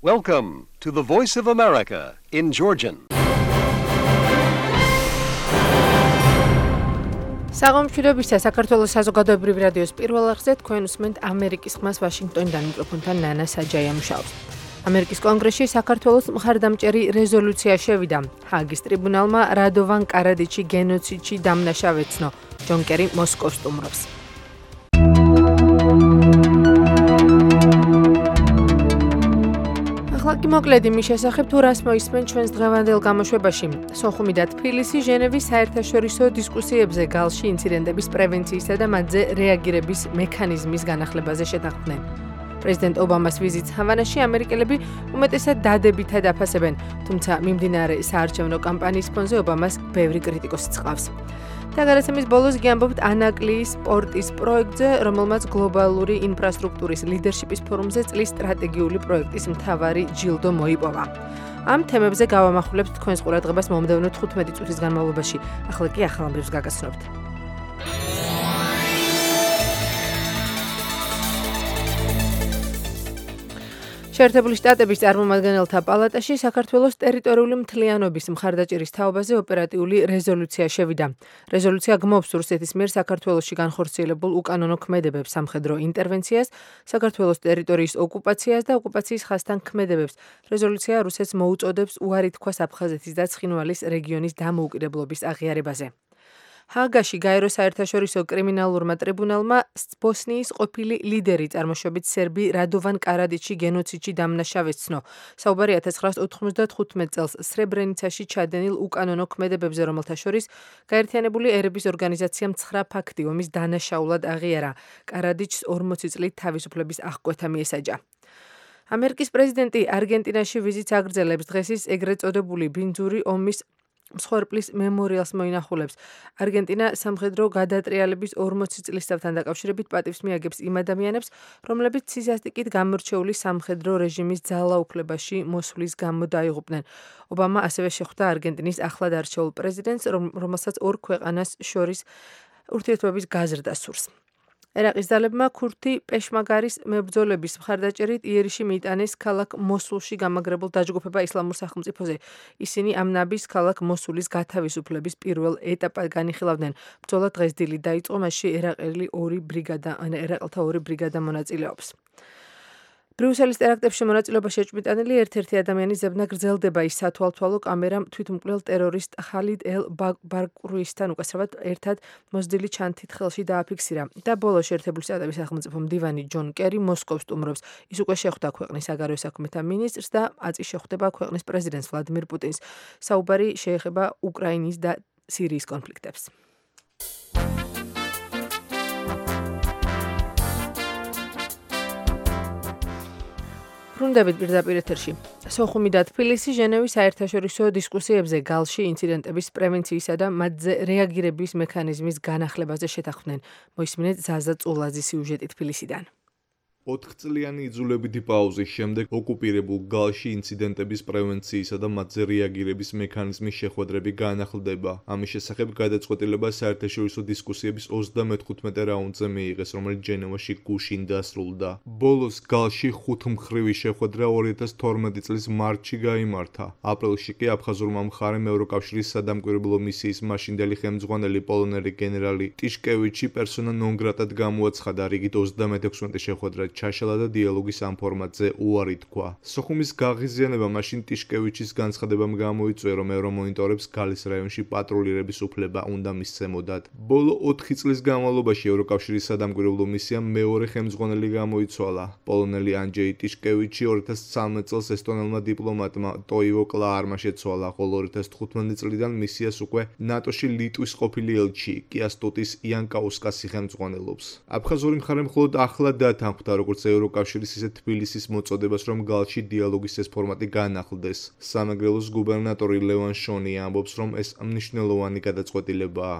Welcome to the Voice of America in Georgian. საღამოშვიდობისა საქართველოს საზოგადოებრივ რადიოს პირველ არხზე თქვენ უსმენთ ამერიკის ხმას ვაშინგტონიდან მიკროფონთან ნანა საჯაია მუშაობს. ამერიკის კონგრესში საქართველოს მხარდამჭერი რეზოლუცია შევიდა. ჰააგის ტრიბუნალმა რადოვან კარადიჩი გენოციდში დამნაშავე ეცნო. ჯონ კერი მოსკოვს სტუმრობს. ახლა მოკლედ იმის შესახებ თუ რას მოისმენ ჩვენს დღევანდელ გამოშვებაში. სოხუმი და თბილისი ჟენევის საერთაშორისო დისკუსიებზე გალში ინციდენტების პრევენციისა და მათზე რეაგირების მექანიზმის განახლებაზე შეთანხმდნენ. პრეზიდენტ ობამას ვიზიტს ჰავანაში ამერიკელები უმეტესად დადებითად აფასებენ, თუმცა მიმდინარე საარჩევნო კამპანიის ფონზე ობამას ბევრი კრიტიკოსიც ჰყავს. და გადაცემის ბოლოს გიამბობთ ანაკლიის სპორტის პროექტზე, რომელმაც გლობალური ინფრასტრუქტურის ლიდერშიპის ფორუმზე წლის სტრატეგიული პროექტის მთავარი ჯილდო მოიპოვა. ამ თემებზე გავამახვილებთ თქვენს ყურადღებას მომდევნო 15 წუთის განმავლობაში. ახლა კი ახალ ამბებს გაგაცნობთ. შეერთებული შტატების წარმომადგენელთა პალატაში საქართველოს ტერიტორიული მთლიანობის მხარდაჭერის თაობაზე ოპერატიული რეზოლუცია შევიდა. რეზოლუცია გმობს რუსეთის მიერ საქართველოში განხორციელებულ უკანონო ქმედებებს, სამხედრო ინტერვენციას, საქართველოს ტერიტორიის ოკუპაციას და ოკუპაციის ხაზთან ქმედებებს. რეზოლუცია რუსეთს მოუწოდებს უარი თქვას აფხაზეთის და ცხინვალის რეგიონის დამოუკიდებლობის აღიარებაზე. ჰააგაში გაერო საერთაშორისო კრიმინალურმა ტრიბუნალმა ბოსნიის ყოფილი ლიდერი წარმოშობით სერბი რადოვან კარადიჩი გენოციდში დამნაშავე ეცნო. საუბარი 1995 წელს სრებრენიცაში ჩადენილ უკანონო ქმედებებზე, რომელთა შორის გაერთიანებული ერების ორგანიზაციამ 9 ფაქტი ომის დანაშაულად აღიარა. კარადიჩს 40 წლით თავისუფლების აღკვეთა მიესაჯა. ამერიკის პრეზიდენტი არგენტინაში ვიზიტს აგრძელებს. დღეს ის ეგრეთ წოდებული ბინძური ომის მსხვერპლის მემორიალს მოინახულებს. არგენტინა სამხედრო გადატრიალების 40 წლისთავთან დაკავშირებით პატივს მიაგებს იმ ადამიანებს, რომლებიც სისასტიკით გამორჩეული სამხედრო რეჟიმის ძალაუფლებაში მოსვლის გამო დაიღუპნენ. ობამა ასევე შეხვდა არგენტინის ახლად არჩეულ პრეზიდენტს, რომელსაც ორ ქვეყანას შორის ურთიერთობების გაზრდა სურს. ერაყის ძალებმა ქურთი პეშმაგარის მებრძოლების მხარდაჭერით იერიში მიიტანეს ქალაქ მოსულში გამაგრებულ დაჯგუფება ისლამურ სახელმწიფოზე. ისინი ამ ნაბის ქალაქ მოსულის გათავისუფლების პირველ ეტაპად განიხილავდნენ. ბრძოლა დღეს დილით დაიწყო, მასში ერაყელთა ორი ბრიგადა მონაწილეობს. ბრიუსელის ტერაქტებში მონაწილეობაში ეჭვმიტანილი ერთ-ერთი ადამიანის ზებნა გრძელდება. ის სათვალთვალო კამერამ თვითმკვლელ ტერორისტ ხალიდ ელ ბაკრუისთან უკაცრავად ერთად მოზრდილი ჩანთით ხელში დააფიქსირა. და ბოლოს შეერთებული შტატების სახელმწიფო მდივანი ჯონ კერი მოსკოვს სტუმრობს. ის უკვე შეხვდა ქვეყნის საგარეო საქმეთა მინისტრს და აწი შეხვდება ქვეყნის პრეზიდენტს ვლადიმირ პუტინს. საუბარი შეეხება უკრაინის და სირიის კონფლიქტებს. ბრუნდებით პირდაპირ ეთერში. სოხუმი და თბილისი ჟენევის საერთაშორისო დისკუსიებზე გალში ინციდენტების პრევენციისა და მათზე რეაგირების მექანიზმის განახლებაზე შეთანხმდნენ. მოისმინეთ ზაზა წულაძის სიუჟეტი თბილისიდან. 4 წლიანი იძულებითი პაუზის შემდეგ ოკუპირებულ გალში ინციდენტების პრევენციისა და მათზე რეაგირების მექანიზმის შეხვედრები განახლდება. ამის შესახებ გადაწყვეტილება საერთაშორისო დისკუსიების 35 რაუნდზე მიიღეს, რომელიც ჟენევაში გუშინ დასრულდა. ბოლოს გალში 5 მხრივი შეხვედრა 2012 წლის მარტში გაიმართა. აპრილში კი აფხაზურმა მხარემ ევროკავშირის სადამკვირვებლო მისიის მაშინდელი ხელმძღვანელი პოლონელი გენერალი ტიშკევიჩი პერსონა ნონ გრატად გამოაცხადა. რიგით 36 შეხვედრა ჩაშალა და დიალოგის ამ ფორმატზე უარი თქვა. სოხუმის გაღიზიანება მაშინ ტიშკევიჩის განცხადებამ გამოიწვია, რომ ევრომონიტორებს გალის რაიონში პატრულირების უფლება უნდა მისცემოდათ. ბოლო 4 წლის განმავლობაში ევროკავშირის სადამკვირვებლო მისიამ მეორე ხელმძღვანელი გამოიცვალა. პოლონელი ანჯეი ტიშკევიჩი 2013 წელს ესტონელმა დიპლომატმა ტოივო კლაარმა შეცვალა, ხოლო 2015 წლიდან მისიას უკვე ნატოში ლიტვის ყოფილი ელჩი კიასტოტის იანკაუსკასი ხელმძღვანელობს. აფხაზური მხარე მხოლოდ ახლად დათანხმდა, როგორც ევროკავშირის ისე თბილისის მოწოდებას, რომ გალში დიალოგის ეს ფორმატი განახლდეს. სამეგრელოს გუბერნატორი ლევან შონი ამბობს, რომ ეს მნიშვნელოვანი გადაწყვეტილებაა.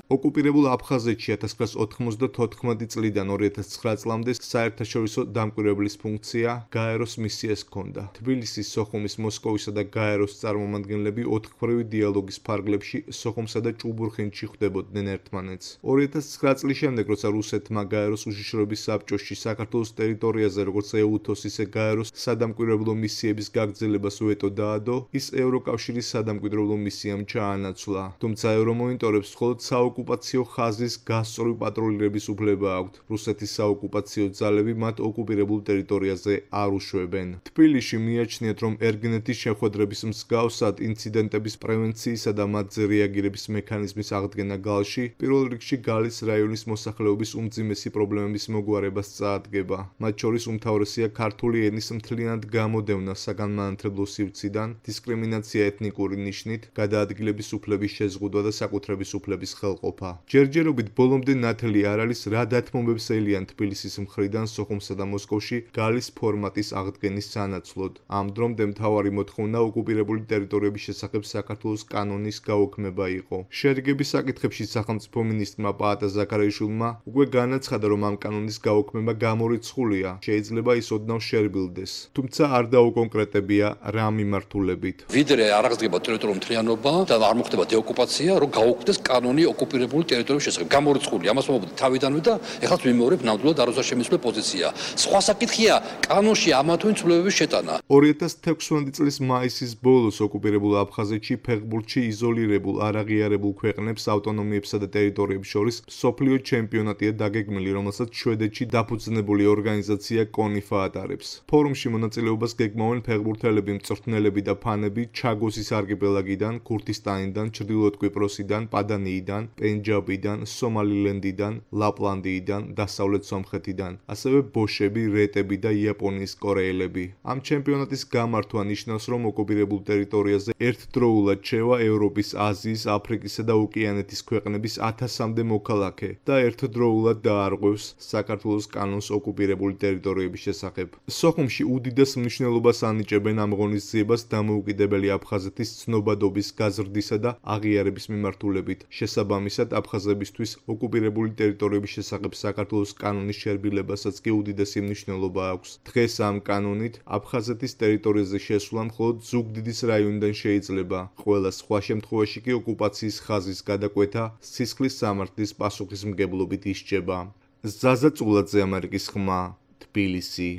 ოკუპირებულ აფხაზეთში 1994 წლიდან 2009 წლამდე საერთაშორისო დამკვირვებლის ფუნქცია გაეროს მისიას ჰქონდა. თბილისის, სოხუმის, მოსკოვისა და გაეროს წარმომადგენლები ოთხკვრივი დიალოგის ფარგლებში სოხუმსა და ჭუბურხინში ხვდებოდნენ ერთმანეთს. 2009 წლის შემდეგ, როცა რუსეთმა გაეროს უშიშროების საბჭოში საქართველოს ტერიტორიაზე როგორც EUTOS, ისე გაეროს სადამკვირვებლო მისიების გაგრძელებას ვეტო დაადო, ის ევროკავშირის სადამკვირვებლო მისიამ ჩაანაცვლა. თუმცა ევრომონიტორებს მხოლოდ საოკუპაციო ხაზის გასწვრივ პატრულირების უფლება აქვთ. რუსეთის საოკუპაციო ძალები მათ ოკუპირებულ ტერიტორიაზე არ უშვებენ. თბილისში მიაჩნიათ, რომ ერგინეთის შეხვედრების მსგავსად ინციდენტების პრევენციისა და მათზე რეაგირების მექანიზმის აღდგენა გალში პირველ რიგში გალის რაიონის მოსახლეობის უმძიმესი პრობლემების მოგვარებას წაადგება. მათ შორის უმთავრესია ქართული ენის მთლიანად გამოდევნა საგანმანათლებლო სივრციდან, დისკრიმინაცია ეთნიკური ნიშნით, გადაადგილების უფლების შეზღუდვა და საკუთრების უფლების ხელყოფა. ჯერჯერობით ბოლომდე ნათელი არ არის, რა დათმობებს ელიან თბილისის მხრიდან სოხუმსა და მოსკოვში გალის ფორმატის აღდგენის სანაცვლოდ. ამ დრომდე მთავარი მოთხოვნა ოკუპირებული ტერიტორიების შესახებ საქართველოს კანონის გაუქმება იყო. შერიგების საკითხებში სახელმწიფო მინისტრმა პაატა ზაქარიაშვილმა უკვე განაცხადა, რომ ამ კანონის გაუქმება გამორიცხულია, შეიძლება ის ოდნავ შერბილდეს. თუმცა არ დაუკონკრეტებია რა მიმართულებით. ვიდრე არ აღდგება ტერიტორიული მთლიანობა და არ მოხდება დეოკუპაცია, რომ გაუქმდეს კანონი ოკუპირებული ტერიტორიების შესახებ. გამორიცხულია, ამას მომობდი თავიდანვე და ეხლა ვიმეორებ ნამდვილად არ უზარმაზრებლის პოზიცია. სხვა საკითხია კანონში ამა თუ იმ ცვლილებების შეტანა. 2016 წლის მაისის ბოლოს ოკუპირებულ აფხაზეთში ფეხბურთში იზოლირებულ არაღიარებულ ქვეყნებს, ავტონომიებსა და ტერიტორიებს შორის მსოფლიო ჩემპიონატია დაგეგმილი, რომელსაც შვედეთში დაფუძნებული ორგანიზაცია კონიფა ატარებს. ფორუმში მონაწილეობას გეგმავენ ფეხბურთელები, მწვრთნელები და ფანები ჩაგოსის არქიპელაგიდან, ქურთისტანიდან, ჩრდილოეთ კვიპროსიდან, პადანიიდან, პენჯაბიდან, სომალილენდიდან, ლაპლანდიიდან, დასავლეთ სომხეთიდან, ასევე ბოშები, რეტები და იაპონიის კორეელები. ამ ჩემპიონატის გამართვა ნიშნავს, რომ ოკუპირებულ ტერიტორიაზე ერთდროულად შევა ევროპის, აზიის, აფრიკისა და ოკეანეთის ქვეყნების 1000-მდე მოქალაქე და ერთდროულად დაარღვევს საქართველოს კანონს ოკუპირებული ტერიტორიების შესახებ. სოხუმში უდიდეს მნიშვნელობას ანიჭებენ ამ ღონისძიებას დამოუკიდებელი აფხაზეთის ცნობადობის გაზრდისა და აღიარების მიმართულებით. შესაბამისად, აფხაზებისთვის ოკუპირებული ტერიტორიების შესახებ საქართველოს კანონის შერბილებასაც კი უდიდესი მნიშვნელობა აქვს. დღეს ამ კანონით აფხაზეთის ტერიტორიაზე შესვლა მხოლოდ ზუგდიდის რაიონიდან შეიძლება. ყველა სხვა შემთხვევაში კი ოკუპაციის ხაზის გადაკვეთა სისხლის სამართლის პასუხისმგებლობით ისჯება. ზაზა წულაძე, ამერიკის ხმა, თბილისი.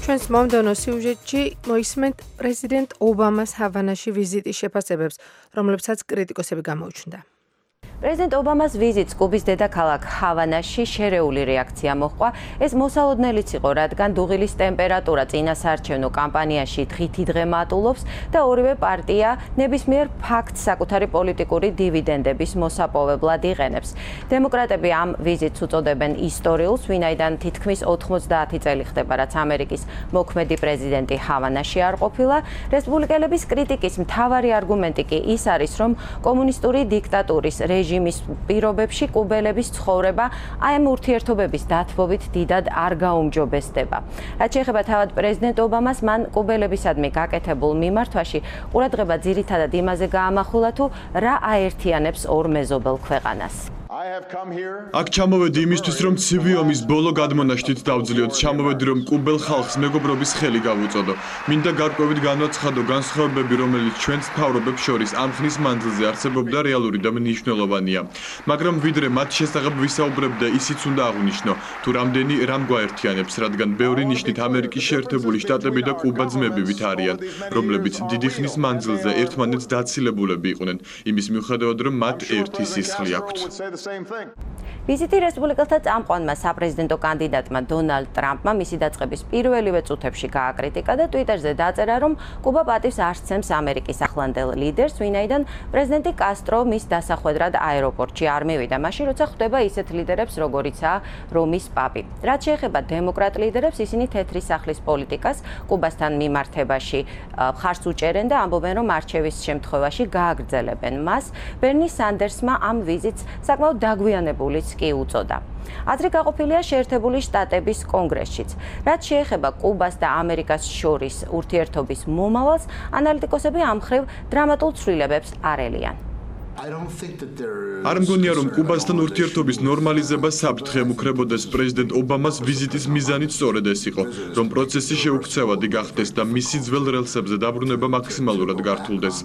ჩვენს მომდევნო სიუჟეტში მოისმენთ პრეზიდენტ ობამას ჰავანაში ვიზიტის შეფასებებს, რომლებსაც კრიტიკოსები გამოუჩნდა. პრეზიდენტ ობამას ვიზიტს კუბის დედაქალაქ ჰავანაში შერეული რეაქცია მოჰყვა. ეს მოსალოდნელიც იყო, რადგან დუღილის ტემპერატურა წინასაარჩევნო კამპანიაში დღითი დღე მატულობს და ორივე პარტია ნებისმიერ ფაქტს საკუთარი პოლიტიკური დივიდენდების მოსაპოვებლად იყენებს. დემოკრატები ამ ვიზიტს უწოდებენ ისტორიულს, ვინაიდან თითქმის 90 წელი ხდება, რაც ამერიკის მოქმედი პრეზიდენტი ჰავანაში არ ყოფილა. რესპუბლიკელების კრიტიკის მთავარი არგუმენტი კი ის არის, რომ კომუნისტური დიქტატურის რეჟიმის პირობებში კუბელების ცხოვრება აი ამ ურთიერთობების დათბობით დიდად არ გაუმჯობესდება. რაც შეეხება თავად პრეზიდენტ ობამას, მან კუბელებისადმი გაკეთებულ მიმართვაში ყურადღება ძირითადად იმაზე გაამახვილა, თუ რა აერთიანებს ორ მეზობელ ქვეყანას. აქ ჩამოვედი იმისთვის, რომ ცივი ომის ბოლო გადმონაშთით დავძლიოთ. ჩამოვედი, რომ კუბელ ხალხს მეგობრობის ხელი გავუწოდო. მინდა გარკვევით განვაცხადო განსხვავებები, რომელიც ჩვენს მთავრობებს შორის ამ ხნის მანძილზე არსებობდა, რეალური და მნიშვნელოვანია. მაგრამ ვიდრე მათ შესახებ ვისაუბრებდა, ისიც უნდა აღვნიშნო, თუ რამდენი რამ გვაერთიანებს, რადგან ბევრი ნიშნით ამერიკის შეერთებული შტატები და კუბა ძმებივით არიან, რომლებიც დიდი ხნის მანძილზე ერთმანეთს დაცილებულები იყვნენ, იმის მიუხედავად, რომ მათ ერთი სისხლი აქვთ. ვიზიტი რესპუბლიკელთა წამყვანმა საპრეზიდენტო კანდიდატმა დონალდ ტრამპმა მისი დაწყების პირველივე წუთებში გააკრიტიკა და ტვიტერზე დაწერა, რომ კუბა პატივს არ სცემს ამერიკის ახლანდელ ლიდერს, ვინაიდან პრეზიდენტი კასტრო მის დასახვედრად აეროპორტში არ მივიდა, მაშინ როცა ხვდება ისეთ ლიდერებს, როგორიცაა რომის პაპი. რაც შეეხება დემოკრატ ლიდერებს, ისინი თეთრი სახლის პოლიტიკას კუბასთან მიმართებაში მხარს უჭერენ და ამბობენ, რომ არჩევის შემთხვევაში გააგრძელებენ მას. ბერნი სანდერსმა ამ ვიზიტს საკმაოდ დაგვიანებულიც კი უწოდა. აზრი გაყოფილია შეერთებული შტატების კონგრესშიც. რაც შეეხება კუბას და ამერიკას შორის ურთიერთობის მომავალს, ანალიტიკოსები ამ მხრივ დრამატულ ცვლილებებს არ ელიან. არ მგონია, რომ კუბასთან ურთიერთობის ნორმალიზება საფრთხე მუქრებოდეს პრეზიდენტ ობამას ვიზიტის მიზანით სწორედ ეს იყო, რომ პროცესი შეუქცევადი გახდეს და მისი ძველ რელსებზე დაბრუნება მაქსიმალურად გართულდეს.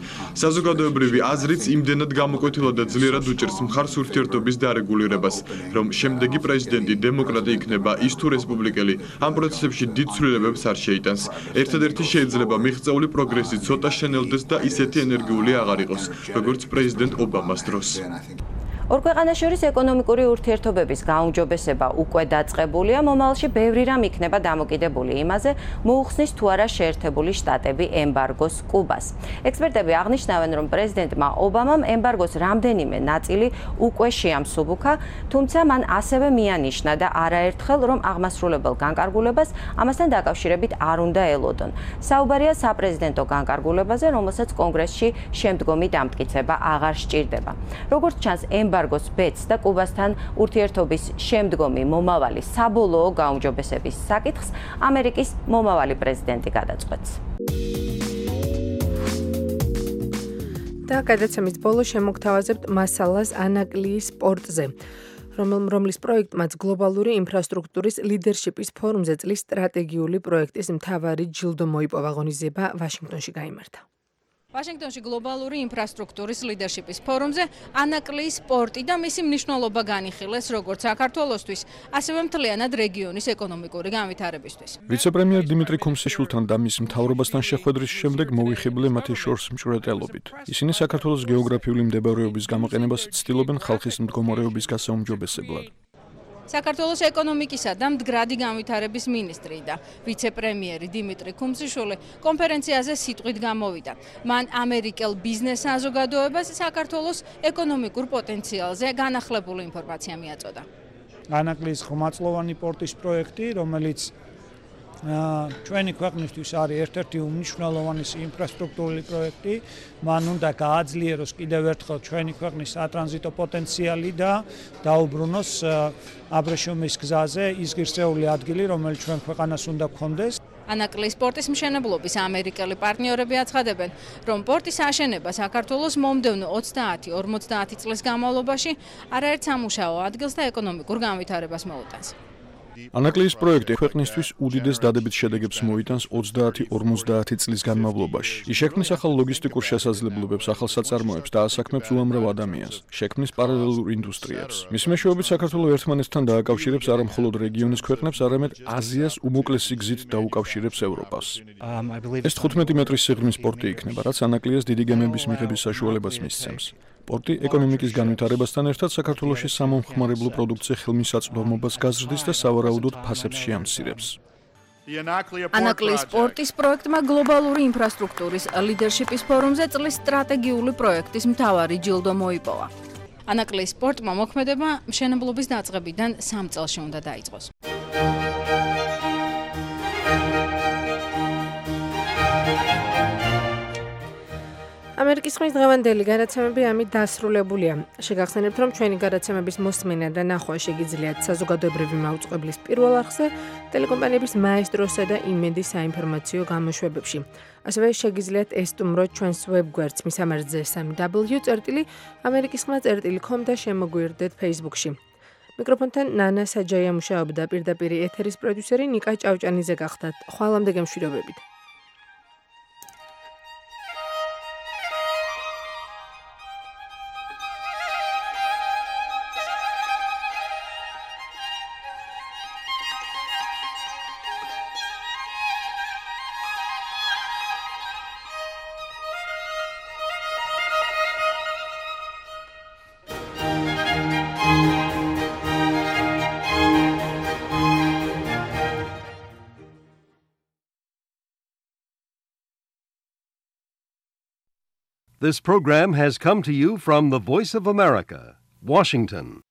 საზოგადოებრივი აზრიც იმდენად გამოკვეთილად და ძლიერად უჭერს მხარს ურთიერთობის დარეგულირებას, რომ შემდეგი პრეზიდენტი დემოკრატი იქნება ის თუ რესპუბლიკელი, ამ პროცესებში დიდ ცვლილებებს არ შეიტანს. ერთადერთი შეიძლება მიღწეული პროგრესი ცოტა შენელდეს და ისეთი ენერგიული აღარ იყოს, როგორც პრეზიდენტ ობამას დროს. ორ ქვეყანას შორის ეკონომიკური ურთიერთობების გაუმჯობესება უკვე დაწყებულია, მომავალში ბევრი რამ იქნება დამოკიდებული იმაზე, მოუხსნის თუ არა შეერთებული შტატები ემბარგოს კუბას. ექსპერტები აღნიშნავენ, რომ პრეზიდენტმა ობამამ ემბარგოს რამდენიმე ნაწილი უკვე შეამსუბუქა, თუმცა მან ასევე მიანიშნა და არაერთხელ, რომ აღმასრულებელ განკარგულებას ამასთან დაკავშირებით არ უნდა ელოდონ. საუბარია საპრეზიდენტო განკარგულებაზე, რომელსაც კონგრესში შემდგომი დამტკიცება აღარ სჭირდება. როგორც ჩანს, ემბარგოს ბედს და კუბასთან ურთიერთობის შემდგომი მომავალი საბოლოო გაუმჯობესების საკითხს ამერიკის მომავალი პრეზიდენტი გადაწყვეტს. და გადაცემის ბოლო შემოგთავაზებთ მასალას ანაკლიის პორტზე, რომლის პროექტმაც გლობალური ინფრასტრუქტურის ლიდერშიპის ფორუმზე წლის სტრატეგიული პროექტის მთავარი ჯილდო მოიპოვა. ღონისძიება ვაშინგტონში გაიმართა. ვაშინგტონში გლობალური ინფრასტრუქტურის ლიდერშიპის ფორუმზე ანაკლიის პორტი და მისი მნიშვნელობა განიხილეს როგორც საქართველოსთვის, ასევე მთლიანად რეგიონის ეკონომიკური განვითარებისთვის. ვიცე-პრემიერ დიმიტრი ქუმსიშვილთან და მის მთავრობასთან შეხვედრის შემდეგ მოვიხიბლე მათი შორს მჭვრეტელობით. ისინი საქართველოს გეოგრაფიული მდებარეობის გამოყენებას ცდილობენ ხალხის მდგომარეობის გასაუმჯობესებლად. საქართველოს ეკონომიკისა და მდგრადი განვითარების მინისტრი და ვიცე-პრემიერი დიმიტრი ქუმსიშვილი კონფერენციაზე სიტყვით გამოვიდა. მან ამერიკელ ბიზნეს საზოგადოებას საქართველოს ეკონომიკურ პოტენციალზე განახლებული ინფორმაცია მიაწოდა. ანაკლიის ხმაწლოვანი პორტის პროექტი, რომელიც ჩვენი ქვეყნისთვის არის ერთ-ერთი უმნიშვნელოვანესი ინფრასტრუქტურული პროექტი, მან უნდა გააძლიეროს კიდევ ერთხელ ჩვენი ქვეყნის სატრანზიტო პოტენციალი და დაუბრუნოს აბრეშუმის გზაზე ის ღირსეული ადგილი, რომელიც ჩვენ ქვეყანას უნდა გქონდეს. ანაკლიის პორტის მშენებლობის ამერიკელი პარტნიორები აცხადებენ, რომ პორტის აშენება საქართველოს მომდევნო 30-50 წლის განმავლობაში არაერთ სამუშაო ადგილს და ეკონომიკურ განვითარებას მოუტანს. ანაკლიის პროექტი ქვეყნისთვის უდიდეს დადებით შედეგებს მოიტანს 30-50 წლის განმავლობაში. ის შექმნის ახალ ლოგისტიკურ შესაძლებლობებს, ახალ საწარმოებს და ასაქმებს უამრავ ადამიანს, შექმნის პარალელურ ინდუსტრიებს. მის მეშვეობით საქართველოს ერთმანეთთან დააკავშირებს არა მხოლოდ რეგიონის ქვეყნებს, არამედ აზიას უმოკლესი გზით დაუკავშირებს ევროპას. ეს 15 მეტრის სიღრმის პორტი იქნება, რაც ანაკლიას დიდი გემების მიღების საშუალებას მისცემს. პორტი ეკონომიკის განვითარებასთან ერთად საქართველოში სამომხმარებლო პროდუქცია ხელმისაწვდომობას გაზრდის და სავარაუდოდ ფასებს შეამცირებს. ანაკლიის პორტის პროექტმა გლობალური ინფრასტრუქტურის ლიდერშიპის ფორუმზე წლის სტრატეგიული პროექტის მთავარი ჯილდო მოიპოვა. ანაკლიის პორტმა მოქმედება მშენებლობის დაწყებიდან 3 წელში უნდა დაიწყოს. ამერიკის ხმის დღევანდელი გადაცემები ამით დასრულებულია. შეგახსენებთ, რომ ჩვენი გადაცემების მოსმენა და ნახვა შეგიძლიათ საზოგადოებრივი მაუწყებლის პირველ არხზე, ტელეკომპანიების მაესტროსა და იმედის საინფორმაციო გამოშვებებში. ასევე შეგიძლიათ ესტუმროთ ჩვენს ვებგვერდს მისამართზე www.amerikiskhma.com და შემოგვიერთდეთ Facebook-ში. მიკროფონთან ნანა საჯაია მუშაობდა, პირდაპირ ეთერის პროდიუსერი ნიკა ჭავჭანიძე გახდათ. ხვალამდე გემშვიდობებით. This program has come to you from the Voice of America, Washington.